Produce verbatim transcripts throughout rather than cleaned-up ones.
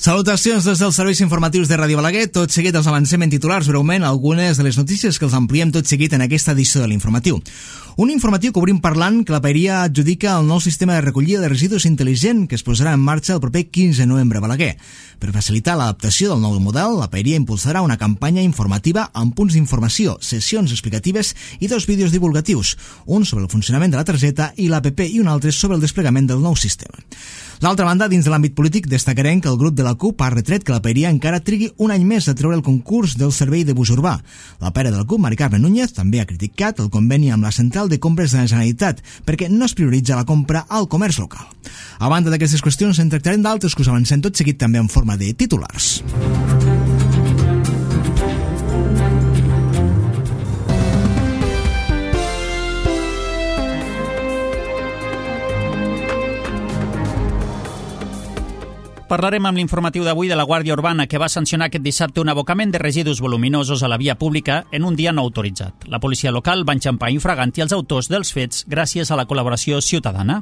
Salutacions des dels serveis informatius de Ràdio Balaguer. Tot seguit els avancem en titulars breument algunes de les notícies que els ampliem tot seguit en aquesta edició de l'informatiu. Un informatiu que obrim parlant que la Paeria adjudica el nou sistema de recollida de residus intel·ligent que es posarà en marxa el proper quinze de novembre a Balaguer. Per facilitar l'adaptació del nou model, la Paeria impulsarà una campanya informativa amb punts d'informació, sessions explicatives i dos vídeos divulgatius, un sobre el funcionament de la targeta i l'A P P i un altre sobre el desplegament del nou sistema. D'altra banda, dins de l'àmbit polític, destacarem que el grup de la C U P ha retret que la Paeria encara trigui un any més a treure el concurs del servei de bus urbà. La pare de la C U P, Mari Carme Núñez, també ha criticat el conveni amb la Central de Compres de la Generalitat perquè no es prioritza la compra al comerç local. A banda d'aquestes qüestions, en tractarem d'altres que us avancem tot seguit també en forma de titulars. Parlarem amb l'informatiu d'avui de la Guàrdia Urbana, que va sancionar aquest dissabte un abocament de residus voluminosos a la via pública en un dia no autoritzat. La policia local va enxampar infraganti els autors dels fets gràcies a la col·laboració ciutadana.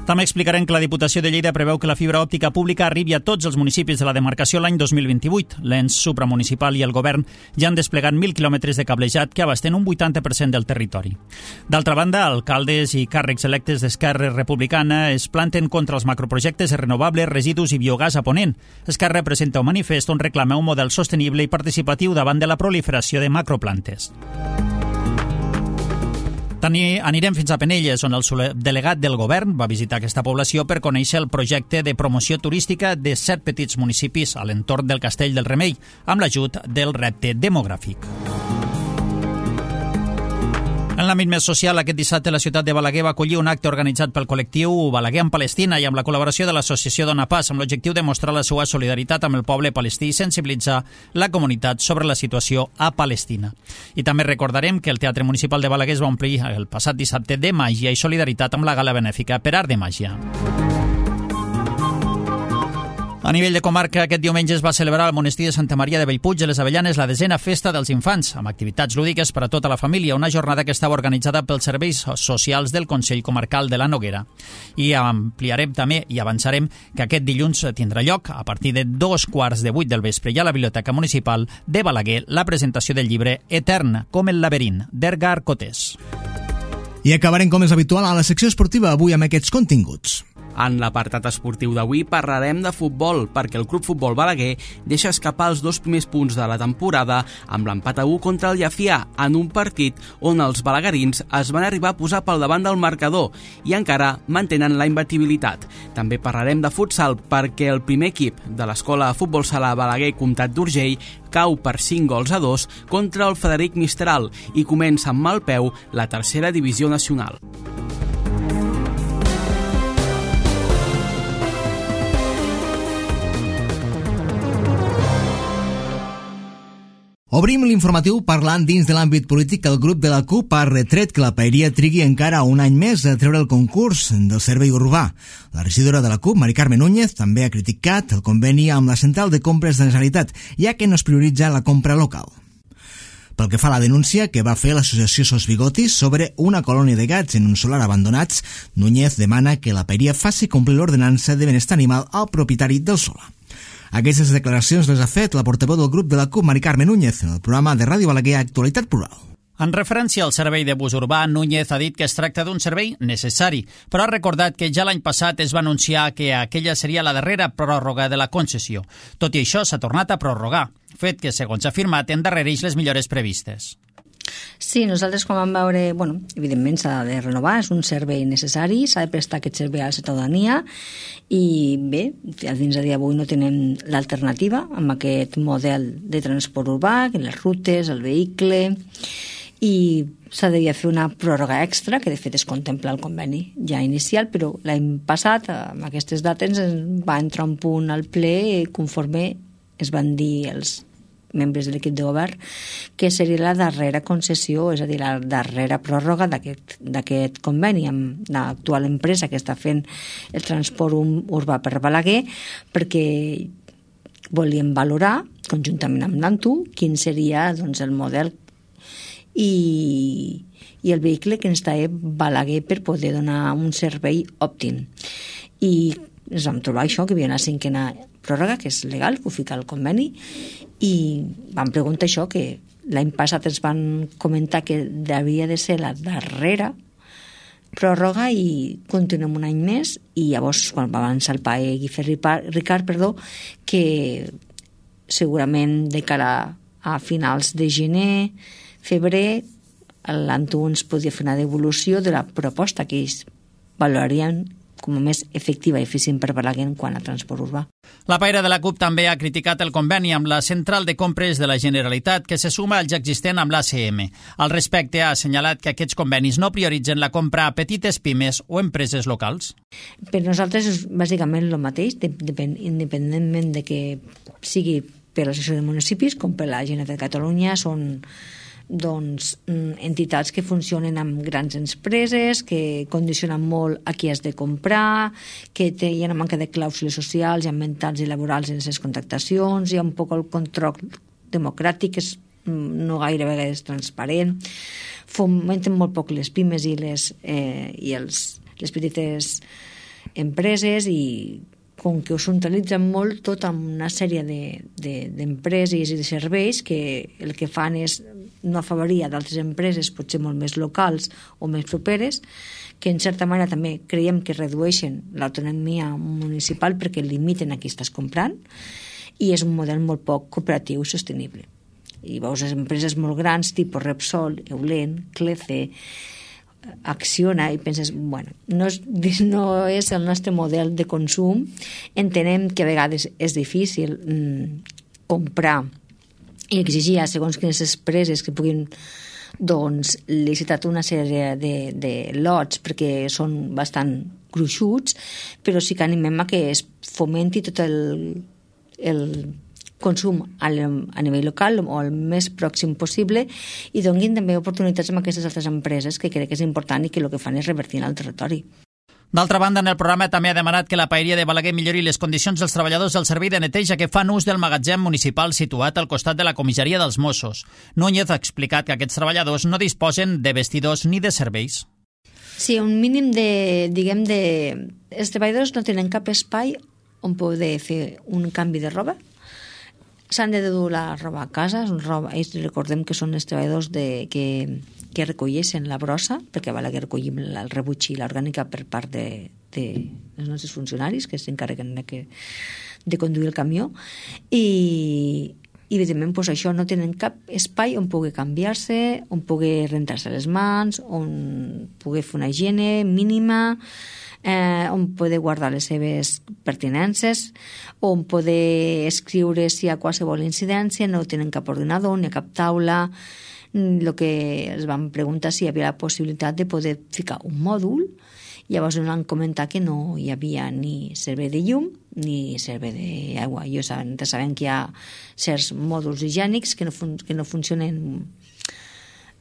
També explicarem que la Diputació de Lleida preveu que la fibra òptica pública arribi a tots els municipis de la demarcació l'any dos mil vint-i-vuit. L'ens supramunicipal i el govern ja han desplegat mil quilòmetres de cablejat que abasten un vuitanta per cent del territori. D'altra banda, alcaldes i càrrecs electes d'Esquerra Republicana es planten contra els macroprojectes de renovables, residus i biogàs a Ponent. Esquerra presenta un manifest on reclama un model sostenible i participatiu davant de la proliferació de macroplantes. També anirem fins a Penelles, on el delegat del govern va visitar aquesta població per conèixer el projecte de promoció turística de set petits municipis a l'entorn del Castell del Remei, amb l'ajut del repte demogràfic. En l'àmbit més social, aquest dissabte la ciutat de Balaguer va acollir un acte organitzat pel col·lectiu Balaguer en Palestina i amb la col·laboració de l'associació Dona Pas, amb l'objectiu de mostrar la seva solidaritat amb el poble palestí i sensibilitzar la comunitat sobre la situació a Palestina. I també recordarem que el Teatre Municipal de Balaguer es va omplir el passat dissabte de màgia i solidaritat amb la gala benèfica per Art de Màgia. A nivell de comarca, aquest diumenge es va celebrar al monestir de Santa Maria de Bellpuig de les Avellanes la desena festa dels infants, amb activitats lúdiques per a tota la família, una jornada que estava organitzada pels serveis socials del Consell Comarcal de la Noguera. I ampliarem també i avançarem que aquest dilluns tindrà lloc, a partir de dos quarts de vuit del vespre, i a la Biblioteca Municipal de Balaguer, la presentació del llibre Etern, com el laberint, d'Edgar Cotés. I acabarem com és habitual a la secció esportiva avui amb aquests continguts. En l'apartat esportiu d'avui parlarem de futbol, perquè el Club Futbol Balaguer deixa escapar els dos primers punts de la temporada amb l'empat a u contra el Llafià, en un partit on els balaguerins es van arribar a posar pel davant del marcador i encara mantenen la imbatibilitat. També parlarem de futsal, perquè el primer equip de l'Escola de Futbol Sala Balaguer Comtat d'Urgell cau per cinc gols a dos contra el Frederic Mistral i comença amb mal peu la tercera divisió nacional. Obrim l'informatiu parlant dins de l'àmbit polític que el grup de la C U P ha retret que la Paeria trigui encara un any més a treure el concurs del servei urbà. La regidora de la C U P, Mari Carme Núñez, també ha criticat el conveni amb la Central de Compres de la Generalitat, ja que no es prioritza la compra local. Pel que fa a la denúncia que va fer l'associació Sos Bigotis sobre una colònia de gats en un solar abandonats, Núñez demana que la Paeria faci complir l'ordenança de benestar animal al propietari del solar. Aquestes declaracions les ha fet la portaveu del grup de la C U P, Mari Carme Núñez, en el programa de Ràdio Balaguer Actualitat Plural. En referència al servei de bus urbà, Núñez ha dit que es tracta d'un servei necessari, però ha recordat que ja l'any passat es va anunciar que aquella seria la darrera pròrroga de la concessió. Tot i això, s'ha tornat a prorrogar, fet que, segons ha afirmat, endarrereix les millores previstes. Sí, nosaltres quan vam veure, bueno, evidentment s'ha de renovar, és un servei necessari, s'ha de prestar aquest servei a la ciutadania i bé, fins a dia d'avui no tenem l'alternativa amb aquest model de transport urbà, les rutes, el vehicle, i s'ha de fer una pròrroga extra, que de fet es contempla el conveni ja inicial, però l'any passat, amb aquestes dates, va entrar un punt al ple conforme es van dir els membres de l'equip de govern, que seria la darrera concessió, és a dir, la darrera pròrroga d'aquest conveni amb l'actual empresa que està fent el transport urbà per Balaguer, perquè volíem valorar, conjuntament amb l'Antu, quin seria doncs, el model i, i el vehicle que ens traia Balaguer per poder donar un servei òptim. I ens vam trobar això, que hi havia una cinquena pròrroga, que és legal, que ho fica al conveni, i vam preguntar això, que l'any passat ens van comentar que havia de ser la darrera pròrroga i continuem un any més, i llavors quan va avançar el PAE Guifé Ricard, perdó, que segurament de cara a finals de gener, febrer, l'Antu ens podia fer una devolució de la proposta que ells valorarien com a més efectiva i eficient per Balaguer quant a transport urbà. La paira de la CUP també ha criticat el conveni amb la Central de Compres de la Generalitat, que se suma al ja existent amb l'A C M. Al respecte, ha assenyalat que aquests convenis no prioritzen la compra a petites pimes o empreses locals. Per nosaltres és bàsicament el mateix, independentment de que sigui per l'Associació de Municipis com per la Generalitat de Catalunya, són doncs, entitats que funcionen amb grans empreses, que condicionen molt a qui has de comprar, que té, hi ha una manca de clàusules socials i ambientals i laborals en les contractacions, hi ha un poc el control democràtic, que és no gaire vegades transparent, fomenten molt poc les pimes i les, eh, i els, les petites empreses, i com que ho centralitzen molt tot amb una sèrie d'empreses i de serveis que el que fan és no afavorir a d'altres empreses potser molt més locals o més properes, que en certa manera també creiem que redueixen l'autonomia municipal perquè limiten a qui estàs comprant, i és un model molt poc cooperatiu i sostenible. I veus les empreses molt grans, tipus Repsol, Eulen, Clece, Acciona, i penses, bueno, no és, no és el nostre model de consum. Entenem que a vegades és difícil mm, comprar i exigir a segons quines empreses que puguin doncs, licitar una sèrie de, de lots perquè són bastant gruixuts, però sí que animem a que es fomenti tot el, el consum a nivell local o el més pròxim possible, i donguin també oportunitats amb aquestes altres empreses, que crec que és important i que el que fan és revertir en el territori. D'altra banda, en el programa també ha demanat que la paeria de Balaguer millori les condicions dels treballadors del servei de neteja que fan ús del magatzem municipal situat al costat de la comissaria dels Mossos. Núñez ha explicat que aquests treballadors no disposen de vestidors ni de serveis. Sí, un mínim de, diguem, de... Els treballadors no tenen cap espai on poder fer un canvi de roba. S'han de dur la roba a casa, roba, ells recordem que són els treballadors de, que, que recolleixen la brossa, perquè a Balaguer recollim el rebuig i l'orgànica per part de, de els nostres funcionaris que s'encarreguen de, que, de conduir el camió, i, i evidentment pues, això no tenen cap espai on pugui canviar-se, on pugui rentar-se les mans, on pugui fer una higiene mínima, Eh, on poder guardar les seves pertinences, on poder escriure si hi ha qualsevol incidència, no tenen cap ordinador ni cap taula. El que es van preguntar si hi havia la possibilitat de poder ficar un mòdul, llavors ens van comentar que no hi havia ni servei de llum ni servei d'aigua. Jo sabem, sabem que hi ha certs mòduls higiènics que no, fun que no funcionen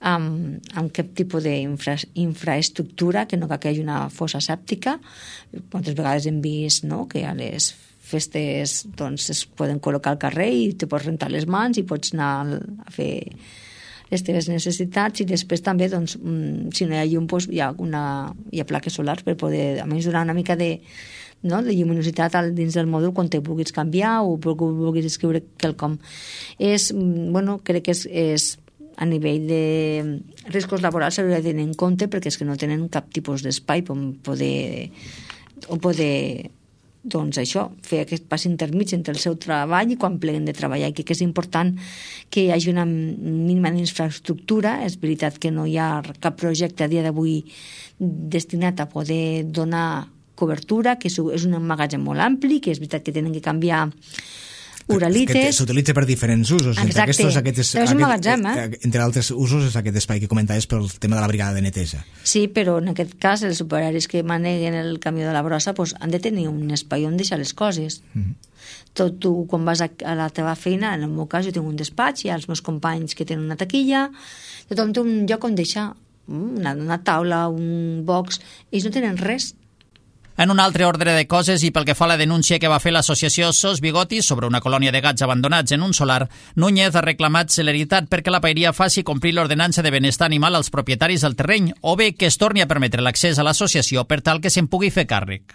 amb, amb cap tipus d'infraestructura, que no cal que hi hagi una fossa sèptica. Moltes vegades hem vist, no?, que a les festes doncs, es poden col·locar al carrer i te pots rentar les mans i pots anar a fer les teves necessitats, i després també doncs, si no hi ha llum doncs, hi ha, una, hi ha plaques solars per poder a més donar una mica de, no, de lluminositat dins del mòdul quan te vulguis canviar o vulguis escriure quelcom. És, bueno, crec que és, és a nivell de riscos laborals s'hauria de tenir en compte, perquè és que no tenen cap tipus d'espai on poder, on poder doncs això, fer aquest pas intermig entre el seu treball i quan pleguen de treballar. I crec que és important que hi hagi una mínima infraestructura. És veritat que no hi ha cap projecte a dia d'avui destinat a poder donar cobertura, que és un magatzem molt ampli, que és veritat que tenen que canviar uralites. S'utilitza per diferents usos. Exacte, aquests, aquests, però és un magatzem, eh? Entre altres usos és aquest espai que comentaves pel tema de la brigada de neteja. Sí, però en aquest cas els operaris que maneguen el camió de la brossa pues, han de tenir un espai on deixar les coses. Mm-hmm. Tot tu, quan vas a, a la teva feina, en el meu cas jo tinc un despatx, hi ha els meus companys que tenen una taquilla, tothom té un lloc on deixar una, una taula, un box, ells no tenen res. En un altre ordre de coses, i pel que fa a la denúncia que va fer l'associació Sos Bigotis sobre una colònia de gats abandonats en un solar, Núñez ha reclamat celeritat perquè la paeria faci complir l'ordenança de benestar animal als propietaris del terreny, o bé que es torni a permetre l'accés a l'associació per tal que se'n pugui fer càrrec.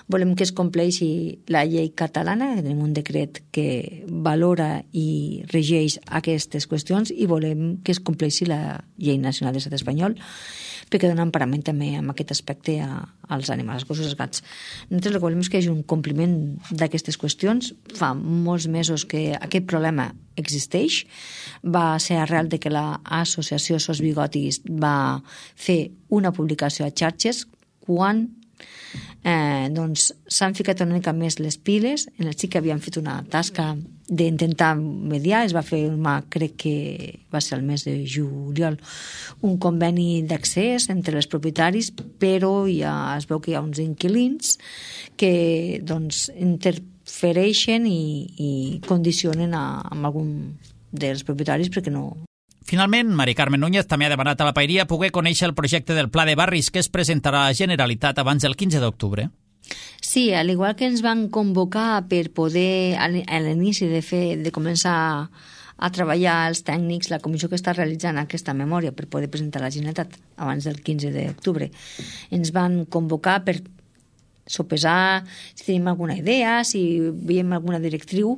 Volem que es compleixi la llei catalana, tenim un decret que valora i regeix aquestes qüestions, i volem que es compleixi la llei nacional de l'estat espanyol, perquè dona emparament també en aquest aspecte a, als animals, als gossos, als gats. Nosaltres el que volem és que hi hagi un compliment d'aquestes qüestions. Fa molts mesos que aquest problema existeix. Va ser arrel de que l'associació Sos Bigotis va fer una publicació a xarxes quan eh, doncs s'han ficat una mica més les piles. En el sí que havien fet una tasca d'intentar mediar, es va fer, crec que va ser el mes de juliol, un conveni d'accés entre els propietaris, però ja es veu que hi ha uns inquilins que doncs interfereixen i, i condicionen a, a algun dels propietaris perquè no... Finalment, Mari Carmen Núñez també ha demanat a la Paeria poder conèixer el projecte del Pla de Barris que es presentarà a la Generalitat abans del quinze d'octubre. Sí, al igual que ens van convocar per poder, a l'inici de fer, de començar a treballar els tècnics, la comissió que està realitzant aquesta memòria per poder presentar a la Generalitat abans del quinze d'octubre, ens van convocar per sopesar si tenim alguna idea, si veiem alguna directriu.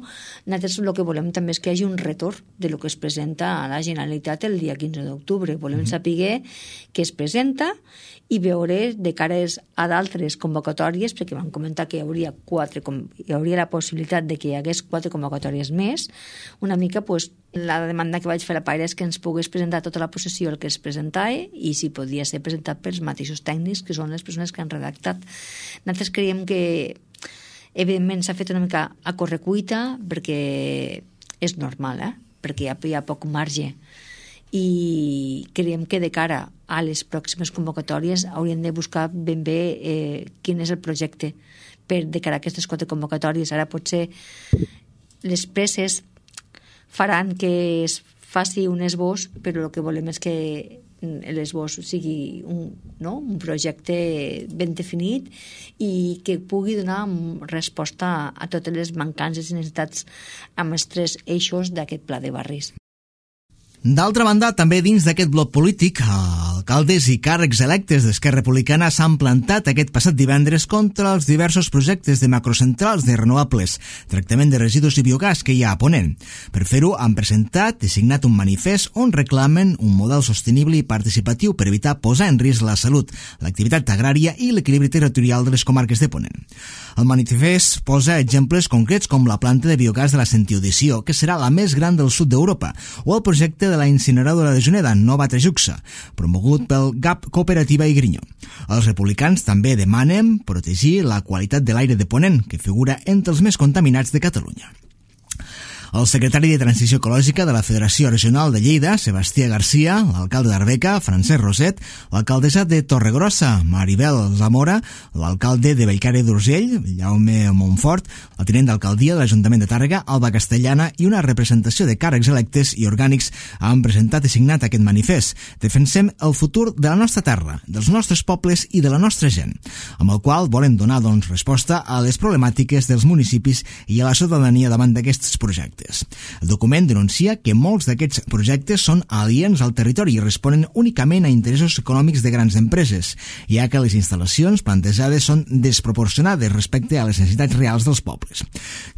Nosaltres el que volem també és que hi hagi un retorn de lo que es presenta a la Generalitat el dia quinze d'octubre. Volem mm-hmm. saber què es presenta i veure de cares a d'altres convocatòries, perquè van comentar que hi hauria quatre, hi hauria la possibilitat de que hi hagués quatre convocatòries més. Una mica, pues, la demanda que vaig fer a la Paeria és que ens pogués presentar tota la possessió el que es presentava i si podia ser presentat pels mateixos tècnics, que són les persones que han redactat. Nosaltres creiem que, evidentment, s'ha fet una mica a correcuita, perquè és normal, eh? perquè hi ha, hi ha poc marge. I creiem que de cara a les pròximes convocatòries hauríem de buscar ben bé eh, quin és el projecte per de cara a aquestes quatre convocatòries. Ara potser les presses faran que es faci un esbós, però el que volem és que l'esbós sigui un, no? un projecte ben definit i que pugui donar resposta a totes les mancances i necessitats amb els tres eixos d'aquest pla de barris. D'altra banda, també dins d'aquest bloc polític, alcaldes i càrrecs electes d'Esquerra Republicana s'han plantat aquest passat divendres contra els diversos projectes de macrocentrals de renovables, tractament de residus i biogàs que hi ha a Ponent. Per fer-ho, han presentat i signat un manifest on reclamen un model sostenible i participatiu per evitar posar en risc la salut, l'activitat agrària i l'equilibri territorial de les comarques de Ponent. El manifest posa exemples concrets com la planta de biogàs de la Sentiodició, que serà la més gran del sud d'Europa, o el projecte de la incineradora de Juneda, Nova Trajuxa, promogut pel G A P Cooperativa i Grinyó. Els republicans també demanen protegir la qualitat de l'aire de Ponent, que figura entre els més contaminats de Catalunya. El secretari de Transició Ecològica de la Federació Regional de Lleida, Sebastià Garcia, l'alcalde d'Arbeca, Francesc Roset, l'alcaldessa de Torregrossa, Maribel Zamora, l'alcalde de Bellcaire d'Urgell, Jaume Montfort, el tinent d'alcaldia de l'Ajuntament de Tàrrega, Alba Castellana, i una representació de càrrecs electes i orgànics han presentat i signat aquest manifest. Defensem el futur de la nostra terra, dels nostres pobles i de la nostra gent, amb el qual volen donar doncs, resposta a les problemàtiques dels municipis i a la ciutadania davant d'aquests projectes. El document denuncia que molts d'aquests projectes són aliens al territori i responen únicament a interessos econòmics de grans empreses, ja que les instal·lacions plantejades són desproporcionades respecte a les necessitats reals dels pobles.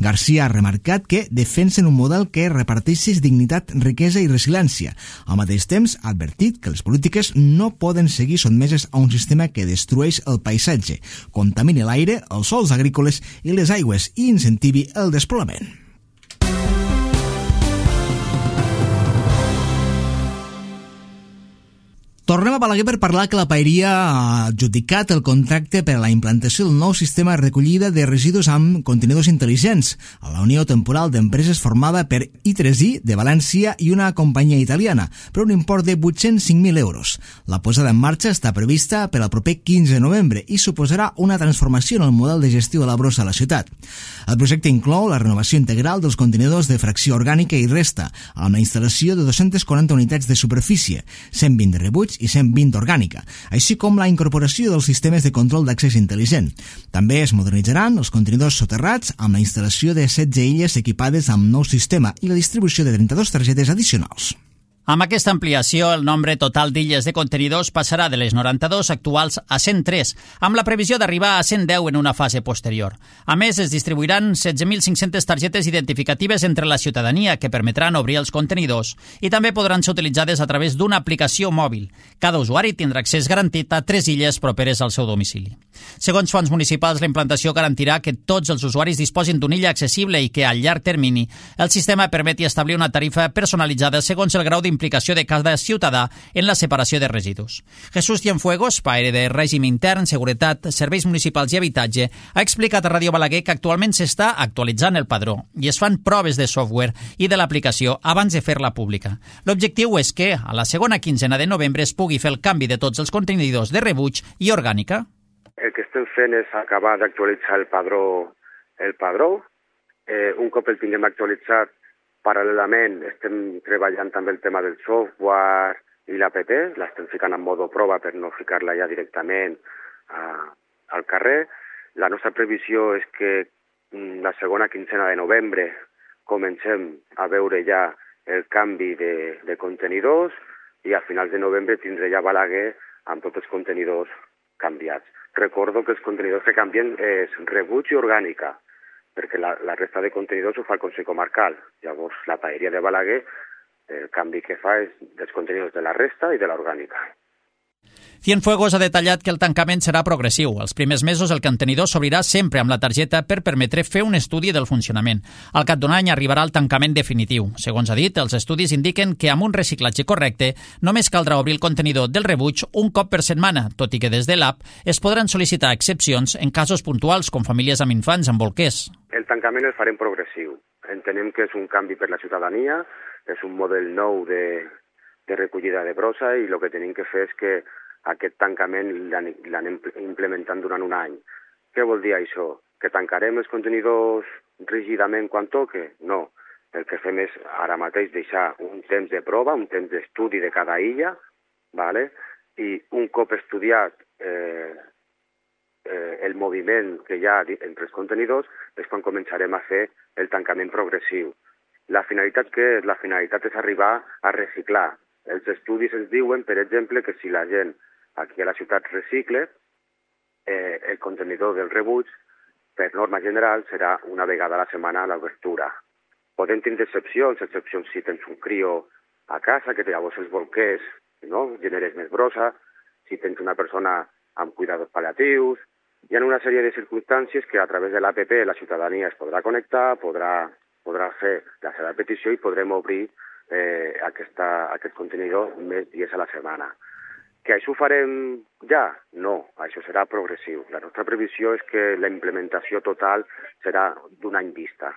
Garcia ha remarcat que defensen un model que reparteixi dignitat, riquesa i resiliència. Al mateix temps, ha advertit que les polítiques no poden seguir sotmeses a un sistema que destrueix el paisatge, contamini l'aire, els sòls agrícoles i les aigües i incentivi el despoblament. Tornem a Balaguer per parlar que la Paeria ha adjudicat el contracte per a la implantació del nou sistema de recollida de residus amb contenidors intel·ligents a la Unió Temporal d'Empreses formada per I tres I de València i una companyia italiana, per un import de vuit-cents cinc mil euros. La posada en marxa està prevista per al proper quinze de novembre i suposarà una transformació en el model de gestió de la brossa a la ciutat. El projecte inclou la renovació integral dels contenidors de fracció orgànica i resta, amb la instal·lació de dos-centes quaranta unitats de superfície, cent vint de rebuig i cent vint orgànica, així com la incorporació dels sistemes de control d'accés intel·ligent. També es modernitzaran els contenidors soterrats amb la instal·lació de setze illes equipades amb nou sistema i la distribució de trenta-dues targetes addicionals. Amb aquesta ampliació, el nombre total d'illes de contenidors passarà de les noranta-dos actuals a cent tres, amb la previsió d'arribar a cent deu en una fase posterior. A més, es distribuiran setze mil cinc-centes targetes identificatives entre la ciutadania que permetran obrir els contenidors i també podran ser utilitzades a través d'una aplicació mòbil. Cada usuari tindrà accés garantit a tres illes properes al seu domicili. Segons fonts municipals, la implantació garantirà que tots els usuaris disposin d'una illa accessible i que, a llarg termini, el sistema permeti establir una tarifa personalitzada segons el grau d'implicació de cada ciutadà en la separació de residus. Jesús Cienfuegos, paere de Règim Intern, Seguretat, Serveis Municipals i Habitatge, ha explicat a Ràdio Balaguer que actualment s'està actualitzant el padró i es fan proves de software i de l'aplicació abans de fer-la pública. L'objectiu és que, a la segona quinzena de novembre, es pugui fer el canvi de tots els contenidors de rebuig i orgànica. El que estem fent és acabar d'actualitzar el padró. El padró. Eh, un cop el tinguem actualitzat, paral·lelament estem treballant també el tema del software i l'app, l'estem ficant en modo prova per no ficar-la ja directament a, al carrer. La nostra previsió és que la segona quinzena de novembre comencem a veure ja el canvi de, de contenidors i a finals de novembre tindré ja Balaguer amb tots els contenidors canviats. Recordo que els contenidors que canvien és rebuig i orgànica, perquè la, la resta de contenidors ho fa el Consell Comarcal. Llavors, la paeria de Balaguer, el canvi que fa és dels contenidors de la resta i de l'orgànica. Cienfuegos ha detallat que el tancament serà progressiu. Els primers mesos el contenidor s'obrirà sempre amb la targeta per permetre fer un estudi del funcionament. Al cap d'un any arribarà el tancament definitiu. Segons ha dit, els estudis indiquen que amb un reciclatge correcte només caldrà obrir el contenidor del rebuig un cop per setmana, tot i que des de l'app es podran sol·licitar excepcions en casos puntuals com famílies amb infants amb bolquers. El tancament el farem progressiu. Entenem que és un canvi per la ciutadania, és un model nou de, de recollida de brossa i el que tenim que fer és que aquest tancament l'anem implementant durant un any. Què vol dir això? Que tancarem els contenidors rígidament quan toque? No. El que fem és ara mateix deixar un temps de prova, un temps d'estudi de cada illa, ¿vale? I un cop estudiat eh, eh, el moviment que hi ha entre els contenidors és quan començarem a fer el tancament progressiu. La finalitat què és? La finalitat és arribar a reciclar. Els estudis ens diuen, per exemple, que si la gent aquí a la ciutat recicle, eh, el contenidor del rebuig, per norma general, serà una vegada a la setmana a l'obertura. Podem tindre excepcions, excepcions si tens un crio a casa, que llavors els bolquers no? generes més brossa, si tens una persona amb cuidados paliatius. Hi ha una sèrie de circumstàncies que a través de l'A P P la ciutadania es podrà connectar, podrà, podrà fer la seva petició i podrem obrir eh, aquesta, aquest contenidor més dies a la setmana. Que això ho farem ja? No, això serà progressiu. La nostra previsió és que la implementació total serà d'un any vista.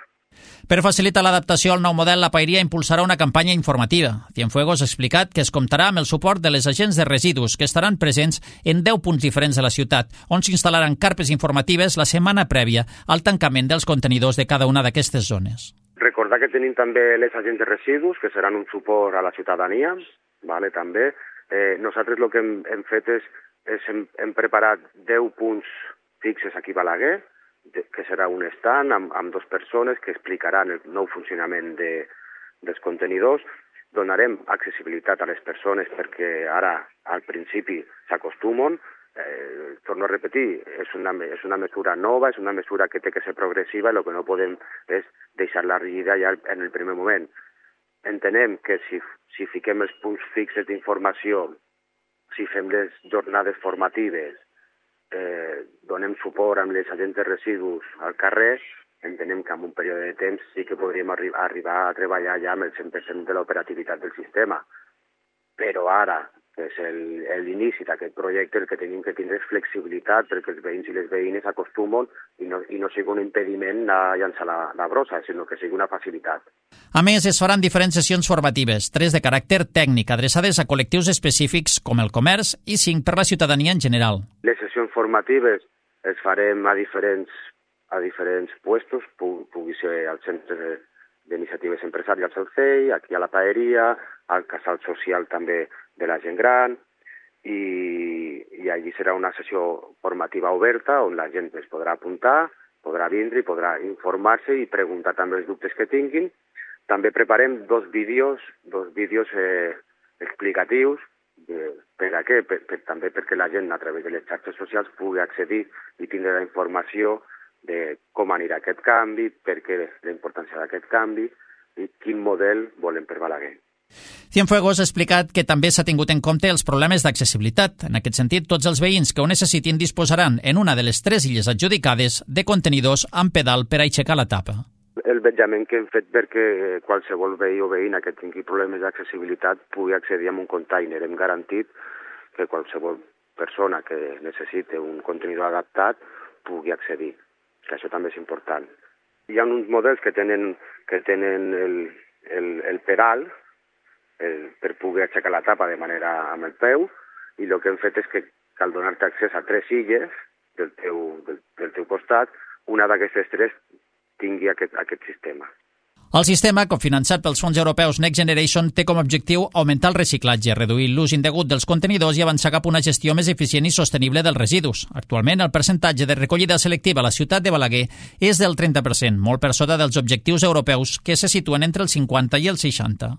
Per facilitar l'adaptació al nou model, la paeria impulsarà una campanya informativa. Cienfuegos ha explicat que es comptarà amb el suport de les agents de residus, que estaran presents en deu punts diferents de la ciutat, on s'instal·laran carpes informatives la setmana prèvia al tancament dels contenidors de cada una d'aquestes zones. Recordar que tenim també les agents de residus, que seran un suport a la ciutadania, vale, també. Eh, nosaltres el que hem, hem fet és, és hem, hem preparat deu punts fixes aquí a Balaguer, de, que serà un stand amb, amb dues persones que explicaran el nou funcionament de, dels contenidors. Donarem accessibilitat a les persones perquè ara, al principi, s'acostumen. Eh, torno a repetir, és una, és una mesura nova, és una mesura que té que ser progressiva i el que no podem és deixar-la rígida ja en el primer moment. Entenem que si, si fiquem els punts fixes d'informació, si fem les jornades formatives, eh, donem suport amb les agents de residus al carrer, entenem que en un període de temps sí que podríem arri arribar a treballar ja amb el cent per cent de l'operativitat del sistema. Però ara, que és l'inici d'aquest projecte, el que tenim que tindre és flexibilitat perquè els veïns i les veïnes acostumen i no, i no sigui un impediment a llançar la, la brossa, sinó que sigui una facilitat. A més, es faran diferents sessions formatives, tres de caràcter tècnic, adreçades a col·lectius específics com el comerç i cinc per la ciutadania en general. Les sessions formatives es farem a diferents, a diferents puestos, pugui ser al centre d'iniciatives empresarials al C E I, aquí a la paeria, al casal social també de la gent gran, i, i allí serà una sessió formativa oberta on la gent es podrà apuntar, podrà vindre i podrà informar-se i preguntar també els dubtes que tinguin. També preparem dos vídeos, dos vídeos eh, explicatius. Eh, per a què? Per, per, també perquè la gent a través de les xarxes socials pugui accedir i tindre la informació de com anirà aquest canvi, per què la importància d'aquest canvi i quin model volen per Balaguer. Cienfuegos ha explicat que també s'ha tingut en compte els problemes d'accessibilitat. En aquest sentit, tots els veïns que ho necessitin disposaran en una de les tres illes adjudicades de contenidors amb pedal per aixecar la tapa. El vetjament que hem fet perquè qualsevol veí o veïna que tingui problemes d'accessibilitat pugui accedir a un container. Hem garantit que qualsevol persona que necessite un contenidor adaptat pugui accedir, que això també és important. Hi ha uns models que tenen, que tenen el, el, el pedal el, per poder aixecar la tapa de manera amb el peu, i el que hem fet és que cal donar-te accés a tres illes del teu, del, del teu costat, una d'aquestes tres tingui aquest, aquest sistema. El sistema, cofinançat pels fons europeus Next Generation, té com a objectiu augmentar el reciclatge, reduir l'ús indegut dels contenidors i avançar cap a una gestió més eficient i sostenible dels residus. Actualment, el percentatge de recollida selectiva a la ciutat de Balaguer és del trenta per cent, molt per sota dels objectius europeus, que se situen entre el cinquanta i el seixanta.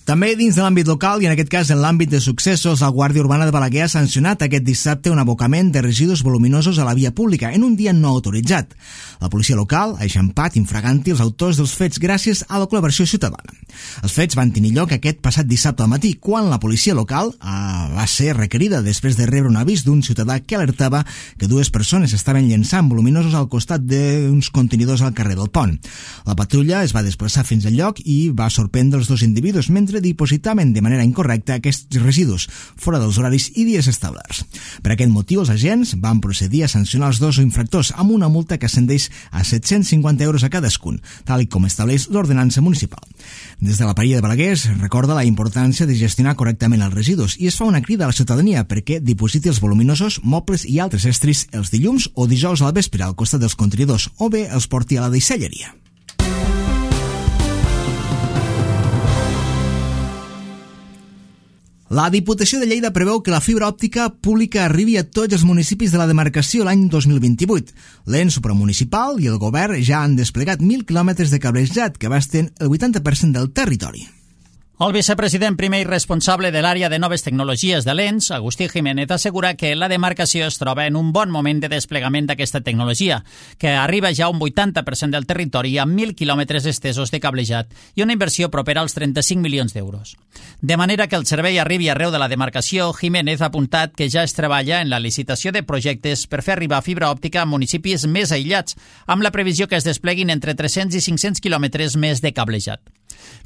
També dins de l'àmbit local, i en aquest cas en l'àmbit de successos, la Guàrdia Urbana de Balaguer ha sancionat aquest dissabte un abocament de residus voluminosos a la via pública en un dia no autoritzat. La policia local ha eixampat infraganti els autors dels fets gràcies a la col·laboració ciutadana. Els fets van tenir lloc aquest passat dissabte al matí, quan la policia local eh, va ser requerida després de rebre un avís d'un ciutadà que alertava que dues persones estaven llençant voluminosos al costat d'uns contenidors al carrer del Pont. La patrulla es va desplaçar fins al lloc i va sorprendre els dos individus mentre dipositaven de manera incorrecta aquests residus fora dels horaris i dies establerts. Per aquest motiu, els agents van procedir a sancionar els dos infractors amb una multa que ascendeix a set-cents cinquanta euros a cadascun, tal com estableix l'ordenança municipal. Des de la Paria de Balaguer es recorda la importància de gestionar correctament els residus i es fa una crida a la ciutadania perquè dipositi els voluminosos, mobles i altres estris els dilluns o dijous al vespre al costat dels contenidors o bé els porti a la deixalleria. La Diputació de Lleida preveu que la fibra òptica pública arribi a tots els municipis de la demarcació l'any dos mil vint-i-vuit. L'ens supramunicipal i el govern ja han desplegat mil quilòmetres de cablejat que abasten el vuitanta per cent del territori. El vicepresident primer i responsable de l'àrea de noves tecnologies de l'ens, Agustí Jiménez, assegura que la demarcació es troba en un bon moment de desplegament d'aquesta tecnologia, que arriba ja a un vuitanta per cent del territori amb mil quilòmetres estesos de cablejat i una inversió propera als trenta-cinc milions d'euros. De manera que el servei arribi arreu de la demarcació, Jiménez ha apuntat que ja es treballa en la licitació de projectes per fer arribar fibra òptica a municipis més aïllats, amb la previsió que es despleguin entre tres-cents i cinc-cents quilòmetres més de cablejat.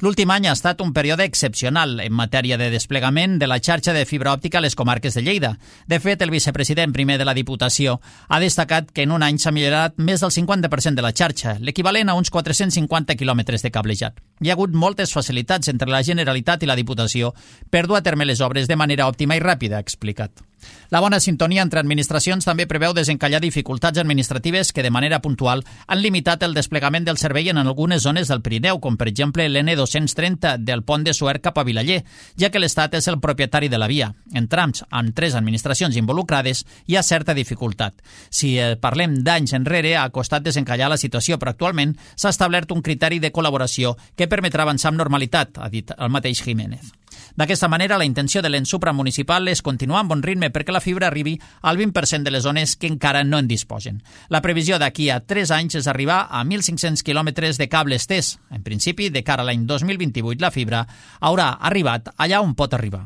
L'últim any ha estat un període excepcional en matèria de desplegament de la xarxa de fibra òptica a les comarques de Lleida. De fet, el vicepresident primer de la Diputació ha destacat que en un any s'ha millorat més del cinquanta per cent de la xarxa, l'equivalent a uns quatre-cents cinquanta quilòmetres de cablejat. Hi ha hagut moltes facilitats entre la Generalitat i la Diputació per dur a terme les obres de manera òptima i ràpida, ha explicat. La bona sintonia entre administracions també preveu desencallar dificultats administratives que de manera puntual han limitat el desplegament del servei en algunes zones del Pirineu, com per exemple l'N dos-cents trenta del pont de Suert cap a Vilaller, ja que l'Estat és el propietari de la via. En trams amb tres administracions involucrades hi ha certa dificultat. Si parlem d'anys enrere, ha costat desencallar la situació, però actualment s'ha establert un criteri de col·laboració que permetrà avançar amb normalitat, ha dit el mateix Jiménez. D'aquesta manera, la intenció de l'ens supramunicipal és continuar amb bon ritme perquè la fibra arribi al vint per cent de les zones que encara no en disposen. La previsió d'aquí a tres anys és arribar a mil cinc-cents quilòmetres de cable estès. En principi, de cara a l'any dos mil vint-i-vuit, la fibra haurà arribat allà on pot arribar.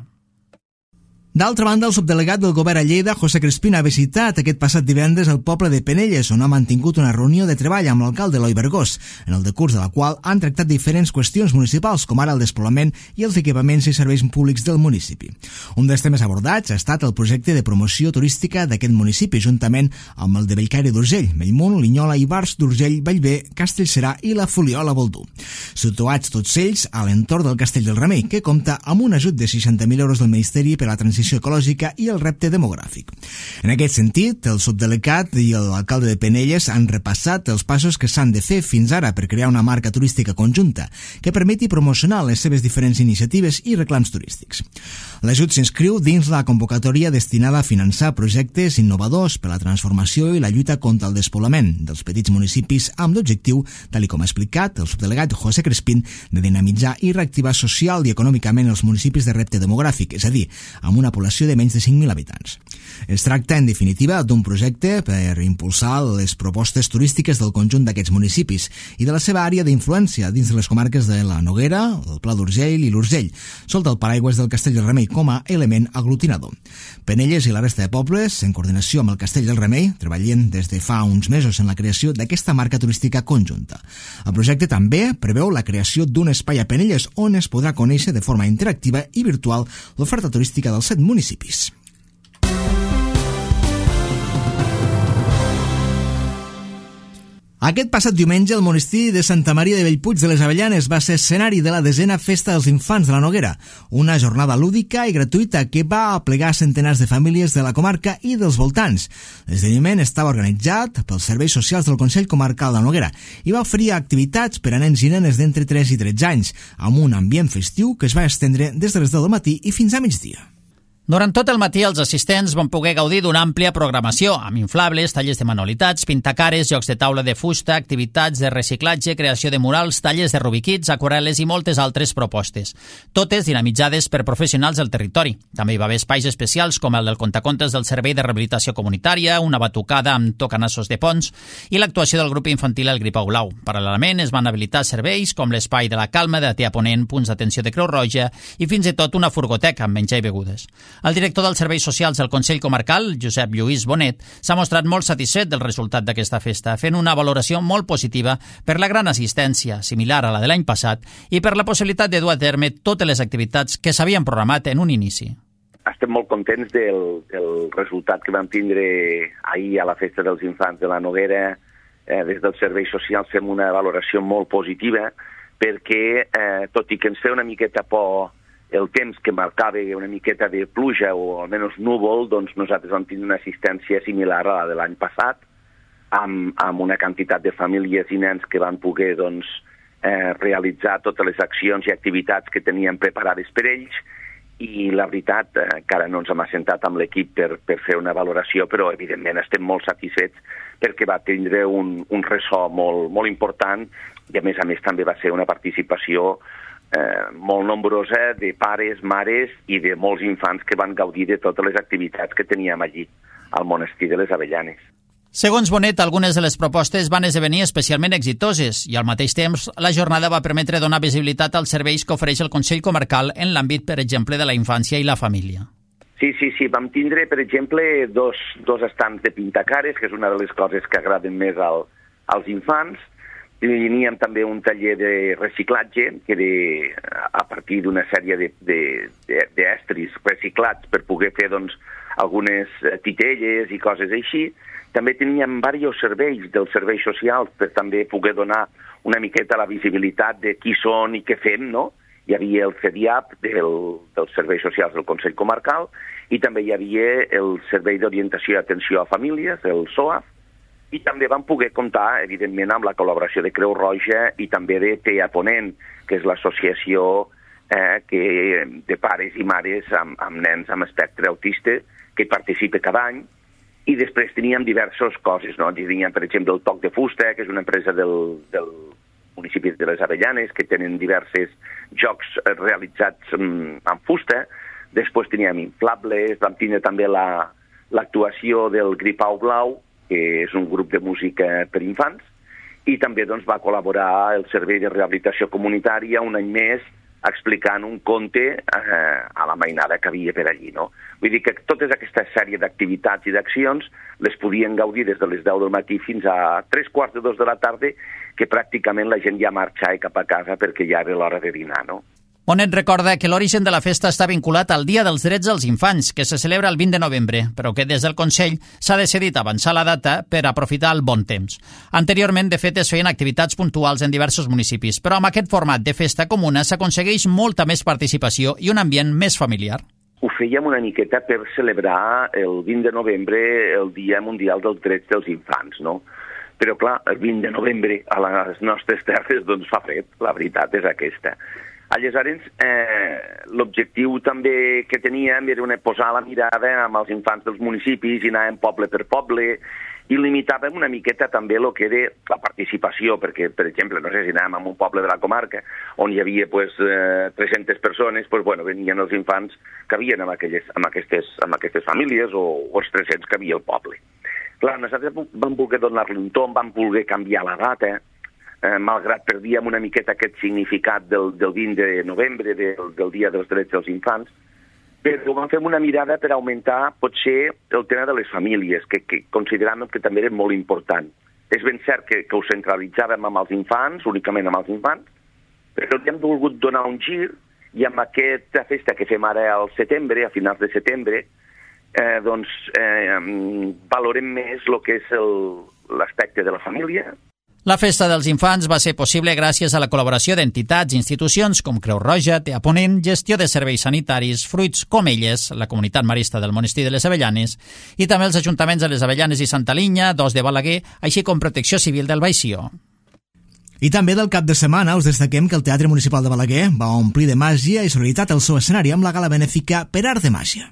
D'altra banda, el subdelegat del govern a Lleida, José Crespín, ha visitat aquest passat divendres el poble de Penelles, on ha mantingut una reunió de treball amb l'alcalde Eloi Bergós, en el decurs de la qual han tractat diferents qüestions municipals, com ara el despoblament i els equipaments i serveis públics del municipi. Un dels temes abordats ha estat el projecte de promoció turística d'aquest municipi, juntament amb el de Bellcaire d'Urgell, Bellmunt, Linyola, Ivars d'Urgell, Bellver, Castellserà i la Fuliola Boldú. Situats tots ells a l'entorn del Castell del Remei, que compta amb un ajut de seixanta mil euros del Ministeri per a la transició ecològica i el repte demogràfic. En aquest sentit, el subdelegat i l'alcalde de Penelles han repassat els passos que s'han de fer fins ara per crear una marca turística conjunta que permeti promocionar les seves diferents iniciatives i reclams turístics. L'ajut s'inscriu dins la convocatòria destinada a finançar projectes innovadors per a la transformació i la lluita contra el despoblament dels petits municipis amb l'objectiu, tal com ha explicat el subdelegat José Crespín, de dinamitzar i reactivar social i econòmicament els municipis de repte demogràfic, és a dir, amb una població de menys de cinc mil habitants. Es tracta, en definitiva, d'un projecte per impulsar les propostes turístiques del conjunt d'aquests municipis i de la seva àrea d'influència dins de les comarques de la Noguera, el Pla d'Urgell i l'Urgell, sota el paraigües del Castell del Remei com a element aglutinador. Penelles i la resta de pobles, en coordinació amb el Castell del Remei, treballen des de fa uns mesos en la creació d'aquesta marca turística conjunta. El projecte també preveu la creació d'un espai a Penelles on es podrà conèixer de forma interactiva i virtual l'oferta turística dels set municipis. Aquest passat diumenge, el monestir de Santa Maria de Bellpuig de les Avellanes va ser escenari de la desena Festa dels Infants de la Noguera, una jornada lúdica i gratuïta que va aplegar centenars de famílies de la comarca i dels voltants. L'esdeveniment estava organitzat pels serveis socials del Consell Comarcal de la Noguera i va oferir activitats per a nens i nenes d'entre tres i tretze anys, amb un ambient festiu que es va estendre des de les deu del matí i fins a migdia. Durant tot el matí, els assistents van poder gaudir d'una àmplia programació, amb inflables, tallers de manualitats, pintacares, jocs de taula de fusta, activitats de reciclatge, creació de murals, tallers de rubiquits, aquarel·les i moltes altres propostes. Totes dinamitzades per professionals del territori. També hi va haver espais especials com el del contacontes del Servei de Rehabilitació Comunitària, una batucada amb tocanassos de ponts i l'actuació del grup infantil El Gripau Blau. Paral·lelament, es van habilitar serveis com l'espai de la Calma de Tea Ponent, punts d'atenció de Creu Roja i fins i tot una furgoteca amb menjar i begudes. El director dels Serveis Socials del Consell Comarcal, Josep Lluís Bonet, s'ha mostrat molt satisfet del resultat d'aquesta festa, fent una valoració molt positiva per la gran assistència, similar a la de l'any passat, i per la possibilitat de dur a terme totes les activitats que s'havien programat en un inici. Estem molt contents del, del resultat que vam tindre ahir a la Festa dels Infants de la Noguera. Eh, des dels Serveis Socials fem una valoració molt positiva perquè, eh, tot i que ens feia una miqueta por el temps que marcava una miqueta de pluja o almenys núvol, doncs nosaltres vam tenir una assistència similar a la de l'any passat, amb, amb una quantitat de famílies i nens que van poder doncs, eh, realitzar totes les accions i activitats que teníem preparades per ells, i la veritat, eh, encara no ens hem assentat amb l'equip per, per fer una valoració, però evidentment estem molt satisfets perquè va tindre un, un ressò molt, molt important i a més a més també va ser una participació Eh, molt nombrosa de pares, mares i de molts infants que van gaudir de totes les activitats que teníem allí al monestir de les Avellanes. Segons Bonet, algunes de les propostes van esdevenir especialment exitoses i al mateix temps la jornada va permetre donar visibilitat als serveis que ofereix el Consell Comarcal en l'àmbit, per exemple, de la infància i la família. Sí, sí, sí. Vam tindre, per exemple, dos, dos estants de pintacares, que és una de les coses que agraden més al, als infants. Teníem també un taller de reciclatge, que de, a partir d'una sèrie d'estris reciclats per poder fer doncs, algunes titelles i coses així. També teníem diversos serveis dels serveis socials per també poder donar una miqueta la visibilitat de qui són i què fem, no? Hi havia el C D A P del, dels serveis socials del Consell Comarcal i també hi havia el Servei d'Orientació i Atenció a Famílies, el S O A F, i també vam poder comptar, evidentment, amb la col·laboració de Creu Roja i també de Tea Ponent, que és l'associació eh, que, de pares i mares amb, amb nens amb espectre autista que participa cada any. I després teníem diverses coses, no? Teníem, per exemple, el Toc de Fusta, que és una empresa del, del municipi de les Avellanes, que tenen diversos jocs realitzats amb, amb fusta. Després teníem inflables, vam tenir també la, l'actuació del Gripau Blau, que és un grup de música per infants, i també doncs, va col·laborar el Servei de Rehabilitació Comunitària un any més explicant un conte eh, a la mainada que havia per allí. No? Vull dir que totes aquesta sèrie d'activitats i d'accions les podien gaudir des de les deu del matí fins a tres quarts de dos de la tarda, que pràcticament la gent ja marxava cap a casa perquè ja era l'hora de dinar, no? Bonet recorda que l'origen de la festa està vinculat al Dia dels Drets dels Infants, que se celebra el vint de novembre, però que des del Consell s'ha decidit avançar la data per aprofitar el bon temps. Anteriorment, de fet, es feien activitats puntuals en diversos municipis, però amb aquest format de festa comuna s'aconsegueix molta més participació i un ambient més familiar. Ho fèiem una miqueta per celebrar el vint de novembre el Dia Mundial dels Drets dels Infants, no? Però, clar, el vint de novembre a les nostres terres doncs fa fred, la veritat és aquesta. Aleshores, eh, l'objectiu també que teníem era una, posar la mirada amb els infants dels municipis i anàvem poble per poble i limitàvem una miqueta també el que era la participació, perquè, per exemple, no sé si anàvem a un poble de la comarca on hi havia pues, eh, tres-centes persones, pues, bueno, venien els infants que havien amb, aquelles, amb, aquestes, amb aquestes famílies o, o els tres-cents que havia al poble. Clar, nosaltres vam voler donar-li un tom, vam voler canviar la data, eh, malgrat perdíem una miqueta aquest significat del, del vint de novembre, del, del Dia dels Drets dels Infants, però vam fer una mirada per augmentar potser el tema de les famílies, que, que consideràvem que també era molt important. És ben cert que, que ho centralitzàvem amb els infants, únicament amb els infants, però li hem volgut donar un gir i amb aquesta festa que fem ara al setembre, a finals de setembre, eh, doncs eh, valorem més el que és l'aspecte de la família. La Festa dels Infants va ser possible gràcies a la col·laboració d'entitats i institucions com Creu Roja, T A Ponent, Gestió de Serveis Sanitaris, Fruits Comelles, la Comunitat Marista del Monestir de les Avellanes i també els ajuntaments de les Avellanes i Santa Linya, dos de Balaguer, així com Protecció Civil del Baix-Sió. I també del cap de setmana us destaquem que el Teatre Municipal de Balaguer va omplir de màgia i solidaritat el seu escenari amb la gala benèfica Per Art de Màgia.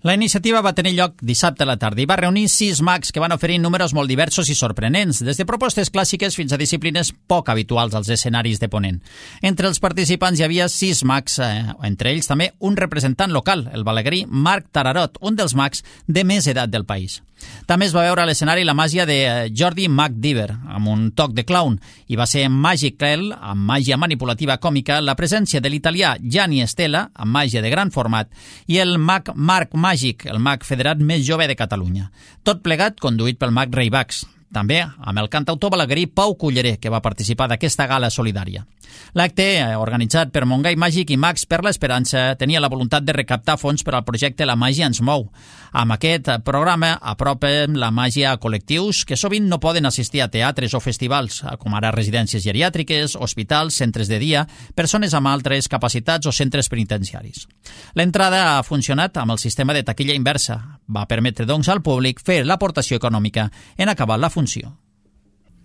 La iniciativa va tenir lloc dissabte a la tarda i va reunir sis mags que van oferir números molt diversos i sorprenents, des de propostes clàssiques fins a disciplines poc habituals als escenaris de Ponent. Entre els participants hi havia sis mags, eh, entre ells també un representant local, el balaguerí Marc Tararot, un dels mags de més edat del país. També es va veure a l'escenari la màgia de Jordi Mag Diver, amb un toc de clown, i va ser Magic Clel, amb màgia manipulativa còmica, la presència de l'italià Gianni Estela, amb màgia de gran format, i el mag Marc Màgic, el mag federat més jove de Catalunya. Tot plegat conduït pel mag Rei Bax. També amb el cantautor balaguerí Pau Culleré, que va participar d'aquesta gala solidària. L'acte, organitzat per Montgai Màgic i Mags per l'Esperança, tenia la voluntat de recaptar fons per al projecte La Màgia ens mou. Amb aquest programa apropen la màgia a col·lectius que sovint no poden assistir a teatres o festivals, com ara residències geriàtriques, hospitals, centres de dia, persones amb altres capacitats o centres penitenciaris. L'entrada ha funcionat amb el sistema de taquilla inversa. Va permetre, doncs, al públic fer l'aportació econòmica en acabar la funció.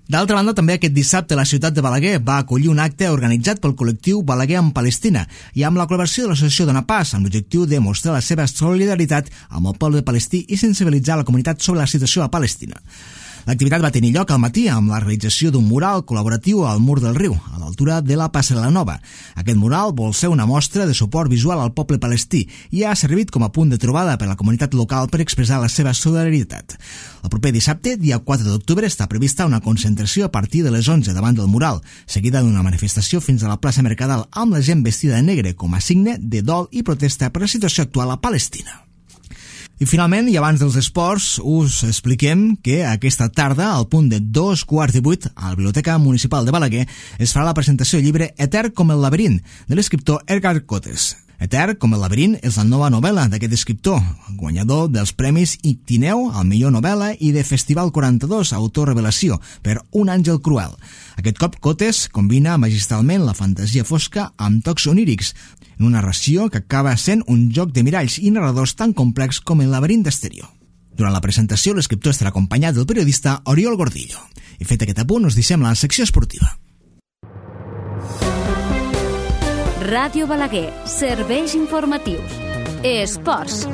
D'altra banda, també aquest dissabte la ciutat de Balaguer va acollir un acte organitzat pel col·lectiu Balaguer en Palestina i amb la col·laboració de l'associació Dona Pas, amb l'objectiu de mostrar la seva solidaritat amb el poble palestí i sensibilitzar la comunitat sobre la situació a Palestina. L'activitat va tenir lloc al matí amb la realització d'un mural col·laboratiu al Mur del Riu, a l'altura de la Passarel·la Nova. Aquest mural vol ser una mostra de suport visual al poble palestí i ha servit com a punt de trobada per a la comunitat local per expressar la seva solidaritat. El proper dissabte, dia quatre d'octubre, està prevista una concentració a partir de les onze davant del mural, seguida d'una manifestació fins a la plaça Mercadal amb la gent vestida de negre com a signe de dol i protesta per la situació actual a Palestina. I finalment, i abans dels esports, us expliquem que aquesta tarda, al punt de dos quarts de vuit, a la Biblioteca Municipal de Balaguer, es farà la presentació del llibre Etern com el laberint, de l'escriptor Edgar Cotes. Etern com el laberint és la nova novel·la d'aquest escriptor, guanyador dels premis Ictineu al millor novel·la i de Festival quaranta-dos Autorrevelació per Un àngel cruel. Aquest cop Cotes combina magistralment la fantasia fosca amb tocs onírics, en una narració que acaba sent un joc de miralls i narradors tan complex com el laberint d'Asterió. Durant la presentació, l'escriptor estarà acompanyat del periodista Oriol Gordillo. I fet aquest apunt, us deixem la secció esportiva. Ràdio Balaguer, serveis informatius. Esports.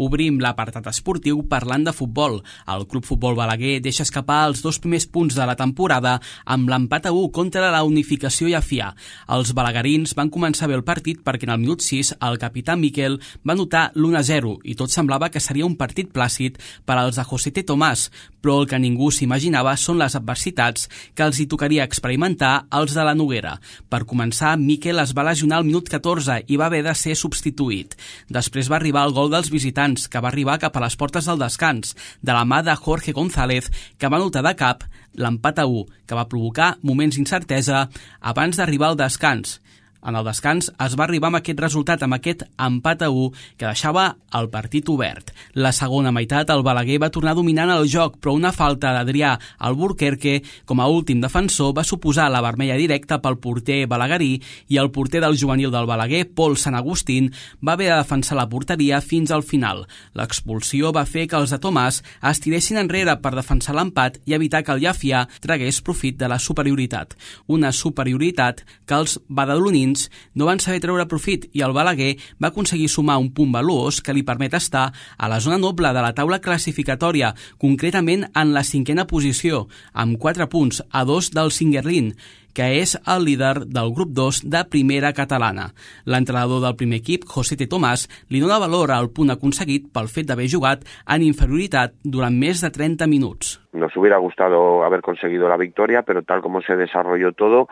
Obrim l'apartat esportiu parlant de futbol. El Club Futbol Balaguer deixa escapar els dos primers punts de la temporada amb l'empat a u contra la Unificació Llafià. Els balaguerins van començar bé el partit perquè en el minut sis el capità Miquel va anotar l'u a zero i tot semblava que seria un partit plàcid per als de José T. Tomàs, però el que ningú s'imaginava són les adversitats que els hi tocaria experimentar als de la Noguera. Per començar, Miquel es va lesionar al minut catorze i va haver de ser substituït. Després va arribar el gol dels visitants, que va arribar cap a les portes del descans, de la mà de Jorge González, que va anotar de cap l'empat a u, que va provocar moments d'incertesa abans d'arribar al descans. En el descans es va arribar amb aquest resultat, amb aquest empat a u que deixava el partit obert. La segona meitat el Balaguer va tornar dominant el joc, però una falta d'Adrià Alburquerque com a últim defensor va suposar la vermella directa pel porter balaguerí i el porter del juvenil del Balaguer, Pol Sant Agustín, va haver de defensar la porteria fins al final. L'expulsió va fer que els de Tomàs es tiressin enrere per defensar l'empat i evitar que el Llafià tragués profit de la superioritat. Una superioritat que els badalonins no van saber treure profit i el Balaguer va aconseguir sumar un punt valuós que li permet estar a la zona noble de la taula classificatòria, concretament en la cinquena posició, amb quatre punts a dos del Singuerlín, que és el líder del grup dos de primera catalana. L'entrenador del primer equip, José T. Tomàs, li dona valor al punt aconseguit pel fet d'haver jugat en inferioritat durant més de trenta minuts. Nos hubiera gustado haber conseguido la victoria, pero tal como se desarrolló todo,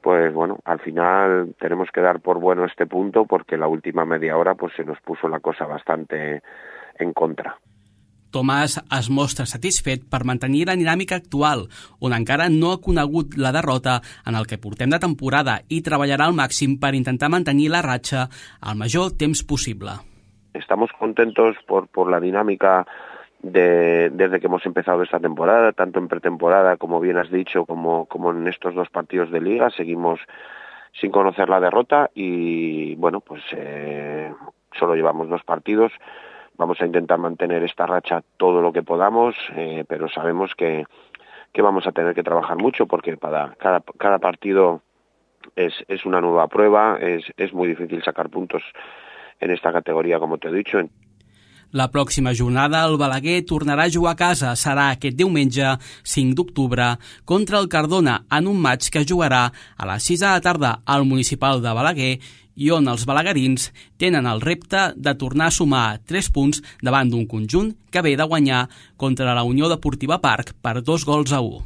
pues bueno, al final tenemos que dar por bueno este punto porque la última media hora pues se nos puso la cosa bastante en contra. Tomàs es mostra satisfet per mantenir la dinàmica actual, on encara no ha conegut la derrota en el que portem de temporada i treballarà al màxim per intentar mantenir la ratxa el major temps possible. Estamos contentos por, por la dinámica De, desde que hemos empezado esta temporada, tanto en pretemporada, como bien has dicho, como, como en estos dos partidos de liga, seguimos sin conocer la derrota y bueno, pues eh, solo llevamos dos partidos, vamos a intentar mantener esta racha todo lo que podamos, eh, pero sabemos que, que vamos a tener que trabajar mucho porque para cada, cada partido es, es una nueva prueba, es, es muy difícil sacar puntos en esta categoría, como te he dicho. La pròxima jornada el Balaguer tornarà a jugar a casa. Serà aquest diumenge, cinc d'octubre, contra el Cardona en un maig que jugarà a les sis de la tarda al Municipal de Balaguer i on els balaguerins tenen el repte de tornar a sumar tres punts davant d'un conjunt que ve de guanyar contra la Unió Deportiva Parc per dos gols a u.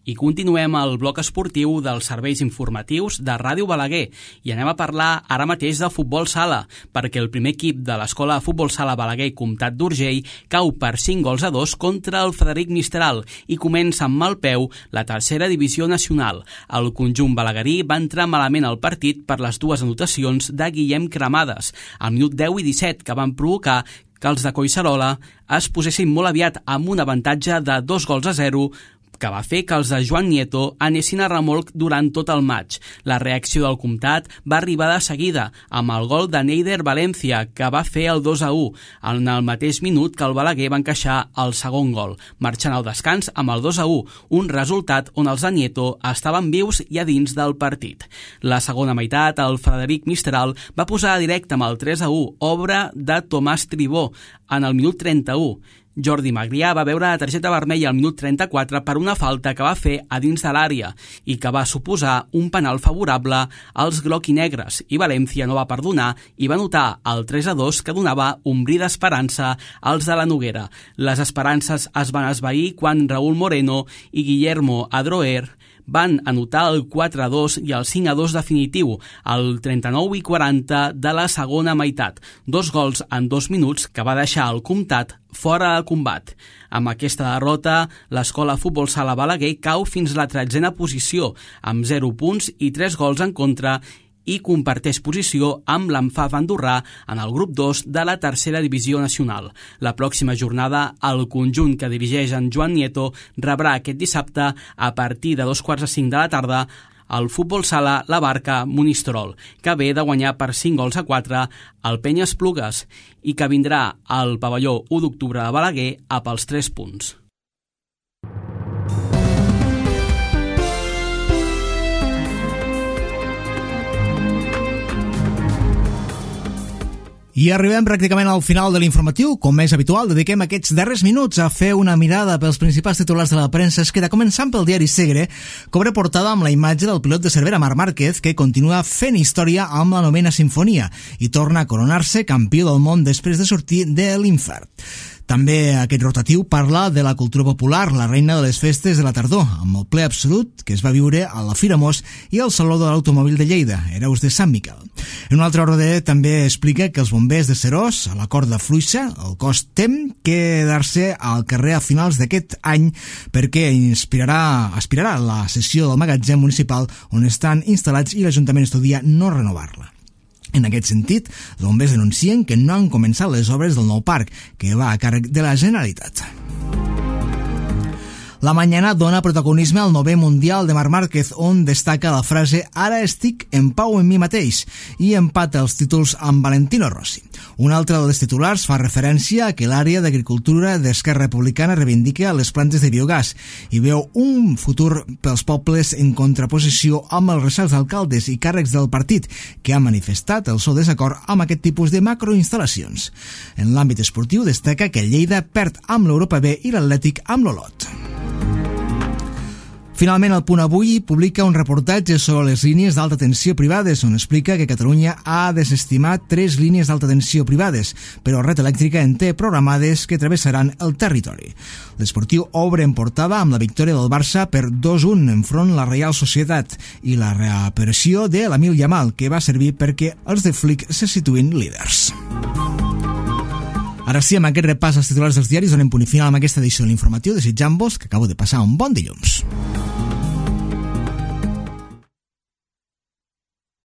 I continuem el bloc esportiu dels serveis informatius de Ràdio Balaguer i anem a parlar ara mateix de futbol sala, perquè el primer equip de l'Escola de Futbol Sala Balaguer Comtat d'Urgell cau per cinc gols a dos contra el Frederic Mistral i comença amb mal peu la tercera divisió nacional. El conjunt balaguerí va entrar malament al partit per les dues anotacions de Guillem Cremades, al minut deu i disset, que van provocar que els de Collserola es posessin molt aviat amb un avantatge de dos gols a zero, que va fer que els de Joan Nieto anessin a remolc durant tot el maig. La reacció del comtat va arribar de seguida, amb el gol de Neider Valencia, que va fer el dos a u, en el mateix minut que el Balaguer va encaixar el segon gol, marxant al descans amb el dos a u, un resultat on els de Nieto estaven vius i a dins del partit. La segona meitat, el Frederic Mistral va posar a directe amb el tres a u, obra de Tomàs Tribó, en el minut trenta-u. Jordi Magrià va veure la targeta vermella al minut trenta-quatre per una falta que va fer a dins de l'àrea i que va suposar un penal favorable als groc-i-negres, i València no va perdonar i va anotar el tres a dos que donava un bri d'esperança als de la Noguera. Les esperances es van esvair quan Raúl Moreno i Guillermo Adroer van anotar el quatre a dos i el cinc a dos definitiu, al trenta-nou i quaranta de la segona meitat. Dos gols en dos minuts que va deixar el comtat fora de combat. Amb aquesta derrota, l'Escola Futbol Sala Balaguer cau fins a la tretzena posició, amb zero punts i tres gols en contra, i comparteix posició amb l'Anfaf andorrà en el grup dos de la tercera divisió nacional. La pròxima jornada, el conjunt que dirigeix en Joan Nieto rebrà aquest dissabte a partir de dos quarts de cinc de la tarda el Futbol Sala La Barca Monistrol, que ve de guanyar per cinc gols a quatre al Penya Esplugues i que vindrà al pavelló u d'octubre de Balaguer a pels tres punts. I arribem pràcticament al final de l'informatiu. Com és habitual, dediquem aquests darrers minuts a fer una mirada pels principals titulars de la premsa. Es queda començant pel diari Segre, que obre portada amb la imatge del pilot de Cervera, Marc Márquez, que continua fent història amb la novena sinfonia i torna a coronar-se campió del món després de sortir de l'infern. També aquest rotatiu parla de la cultura popular, la reina de les festes de la tardor, amb el ple absolut que es va viure a la Fira Mos i al Saló de l'Automòbil de Lleida, Hereus de Sant Miquel. En un altre ordre també explica que els bombers de Serós, a la Corda Fluixa, el cos tem quedar-se al carrer a finals d'aquest any perquè inspirarà, aspirarà la sessió del magatzem municipal on estan instal·lats i l'Ajuntament estudia no renovar-la. En aquest sentit, els bombers denuncien que no han començat les obres del nou parc, que va a càrrec de la Generalitat. La Mañana dona protagonisme al novè Mundial de Marc Márquez, on destaca la frase «Ara estic en pau en mi mateix» i empata els títols amb Valentino Rossi. Un altre dels titulars fa referència a que l'àrea d'agricultura d'Esquerra Republicana reivindica les plantes de biogàs i veu un futur pels pobles en contraposició amb els recels d'alcaldes i càrrecs del partit que han manifestat el seu desacord amb aquest tipus de macroinstal·lacions. En l'àmbit esportiu destaca que Lleida perd amb l'Europa B i l'Atlètic amb l'Olot. Finalment, el Punt Avui publica un reportatge sobre les línies d'alta tensió privades, on explica que Catalunya ha desestimat tres línies d'alta tensió privades, però Red Elèctrica en té programades que travessaran el territori. L'Esportiu obre en portada amb la victòria del Barça per dos a un enfront la Reial Societat i la reaparició de l'Amil Yamal, que va servir perquè els de Flick se situïn líders. Ara sí, amb aquest repàs als titulars dels diaris donem punt i final amb aquesta edició de l'informatiu, desitjant-vos que acabo de passar un bon dilluns.